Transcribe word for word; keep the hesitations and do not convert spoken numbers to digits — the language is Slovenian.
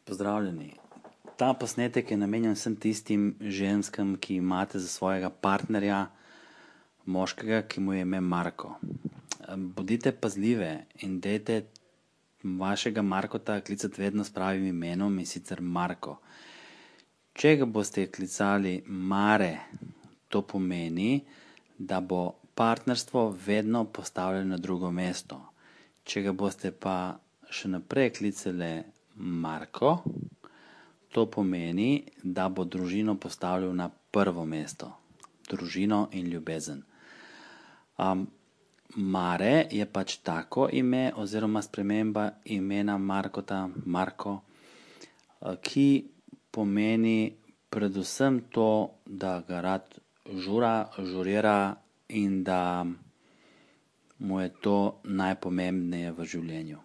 Pozdravljeni. Ta posnetek je namenjen vsem tistim ženskam, ki imate za svojega partnerja moškega, ki mu je ime Marko. Bodite pazljive in dajte vašega Markota klicati vedno s pravim imenom, in sicer Marko. Če ga boste klicali Mare, to pomeni, da bo partnerstvo vedno postavljeno na drugo mesto. Če ga boste pa še naprej klicali Marko, to pomeni, da bo družino postavljal na prvo mesto. Družino in ljubezen. Um, Mare je pač tako ime oziroma sprememba imena Markota, Marko, ki pomeni predvsem to, da ga rad žura, žurira in da mu je to najpomembneje v življenju.